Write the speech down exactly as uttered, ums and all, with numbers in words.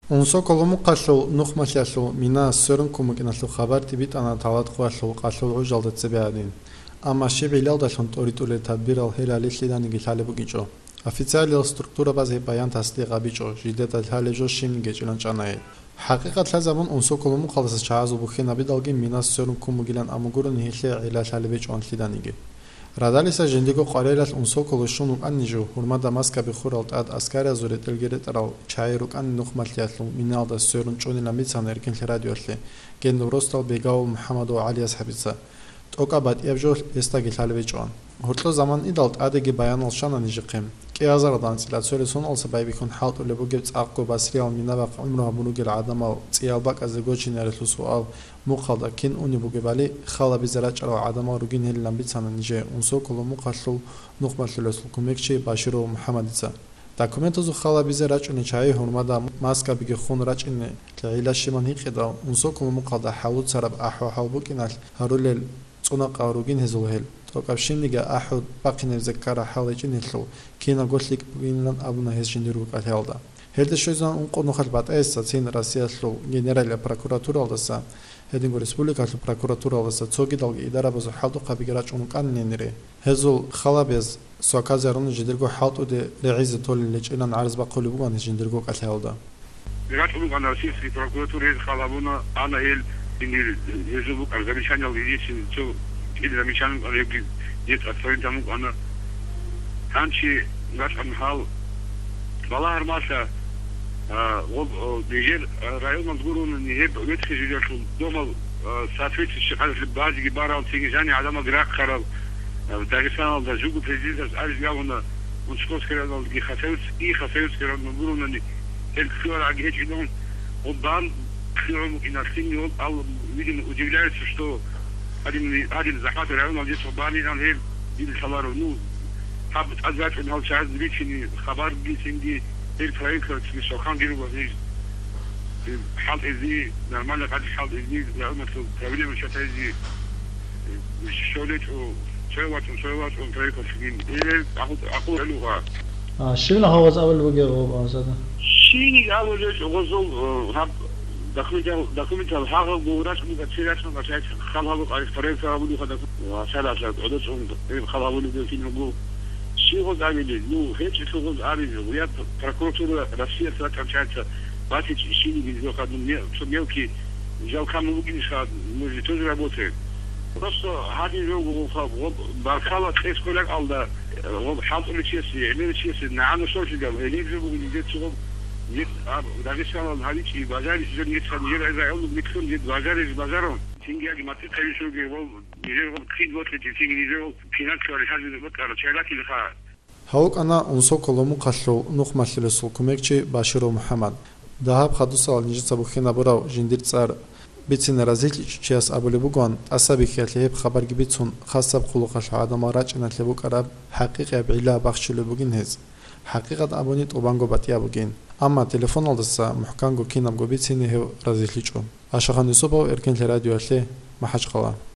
Унсоколомухъалъул нухмалъиялъул мина сверун ккун букӀиналъул хабар тӀибитӀана Талат-Хъвалъул къалъул гӀужалда цебе гьадин. Амма щиб гӀиллалдалъун тӀоритӀулел тадбирал гьел гьалилъиданиги лъалеб букӀинчӀо. Официалиял структурабаз гьеб баян тасдикъ гьабичӀо, жидеда лъалеб жо щибниги чӀилан чӀана гьел. ХӀакъикъат лъазабун, Унсоколомухъалдаса чагӀазул бухьинабидалги мина сверун ккун бугилан абун гурони гьелъие гӀилла лъалеб гьечӀо анлъиданиги. Радалиса жиндирго къварилъиялъ Унсоколо щун вукӀанин жо, гьурмада маскаби хурал тӀад аскариязул ретӀелги ретӀарал чагӀи рукӀанин нухмалъиялъул миналда сверун чӀунилан бицана Эркенлъи радиоялъе гьениб росдал Бегавул МухӀаммад ва ГӀали асхӀабица. ТӀокӀаб батӀияб жо гьесдаги лъалеб гьечӀо. Гьоркьо заман идал тӀадеги баянал щвана нижехъе. КӀиазаралда анцӀила цолесуналдаса байбихьун хӀалтӀулеб бугеб цӀакъго басриял минабахъ гӀумру гьабун ругел гӀадамал цӀиял бакӀазде гочинаялъул суал мухъалда кин унеб бугебали, хал гьабизе рачӀарал гӀадамал ругин гьелилан бицана нижее Унсоколомухъалъул нухмалъулесул кумекчи Баширов МухӀаммадица. Документазул хал гьабизе рачӀунел чагӀи гьурмада маскабиги хун рачӀине гӀилла щибан гьикъидал, Унсоколомухъалда хӀалуцараб ахӀу-хӀал букӀиналъ гьарулел цӀунахъал ругин гьезул гьел, тӀокӀаб щибниги ахӀу бахъинабизе ккараб хӀал гьечӀинелъул кинабго лъикӀ бугилан абуна гьес жиндирго кӀалъаялда. Гьелда щвезегӀан ункъо нухалъ батӀаясда цин Россиялъул Генералияб прокуратуралдаса, гьединго республикалъул прокуратуралдаса цогидалги идарабазул хӀалтӀухъабиги рачӀун рукӀанин гьенире. Гьезул хал гьабиз сваказе гьаруна жиндирго хӀалтӀуде регӀизе толел гьечӀилан гӀарз бахъулеб бугоан жиндирго кӀалъаялда. РачӀун рукӀана российский прокуратура, гьез хал гьабуна, ана гьел, гьел, гьезул букӀараб замечаниялги, единственный цо кӀиго замечание букӀана, гьебги децӀ отправить гьабун букӀана. Гьанже рачӀун гьал балагьармалъа, а, гъоб-, о, нижер, а, районалда гурони гьеб ветхий жидеялъул домал, а, соответствующий къадаралъе базеги барал, цинги жаниб гӀадамалги рахъарал, а, Дагъистаналда жуго президентас абизе абуна, Московский районалдаги Хасавюрт-, и Хасавюртский районалда гурони гьел кколарагӀаги гьечӀилан, гъоб бан лъугӀун букӀиналъ, цинги гьоб ал, видимо, удивляется, что гьадин, гьадин захӀматаб районалде цо бан инан гьел дир лъаларо. Ну, гьаб тӀад рачӀун гьал чагӀазда бицине хабарги, цинги гьел правительствалъе щвалхъанги руго гьез, э, хӀалтӀизе, нормально къадаралъ хӀалтӀизе, районалъул проблема чатазе, э, щолечӀо, цояв вачӀун, цояв вачӀун правительствалъеги. Э, гӀакъу-, гӀакъуба гьелъул гъа. А, щиб гьаваз абулеб бугеб гъоб, а, зада? Щибниги абулеб гъозул, э, гьаб документал, документал гьагъаб гураш бугаци рачун бачайт хал гьабу къарих проект гьабулеха документ. Ва шаралъа гӀодор чӀун гьеб хал гьабулеб кинабго. Щиб гъоз абилеб? Ну, гьечӀелъул гъоз абилеб. Я прокуратура Россияса ракӀанчайца батичӀ щибниги жо хадуб ме-, цо мелкий жал камун бугин ша, мы же тоже работаем. Просто гьадин жо гъо-, гъо-, баркала кьес кколеб алда. Гъоб хӀалтӀулев чиясе, гӀемерав чиясе нагӀана щолъидал, гьелеб жо буго нижер цо гъоб, нижер аб-, Дагъистаналда гьабичӀеб бажаричӀеб жо нижеца, нижер районалда нилъун нижер бажарилеб бажарун. Цинги яги матихъ гьавичӀоги гъоб, нижер гъоб хъин бокьичӀеб, цинги нижер гъоб финансовый хӀажалъи бокьарал чагӀи ратилаха. Гьав вукӀана Унсоколомухъалъул нухмалъулесул кумекчи Баширов МухӀаммад. Дагьаб хадусалда нижеца бухьинабурав жиндир цӀар бицине разилъичӀев чияс абулеб бугоан, тӀасабихьиялъе гьеб хабарги бицун, хасаб хъулухъалъул гӀадамал рачӀиналъе букӀараб хӀакъикъияб гӀилла бахчулеб бугин гьез. ХӀакъикъат абуни тӀубанго батӀияб бугин. Амма телефоналдаса мухӀканго кинабго бицине гьев разилъичӀо. Ашахан Юсупов, Эркенлъи радиоялъе, МахӀачхъала.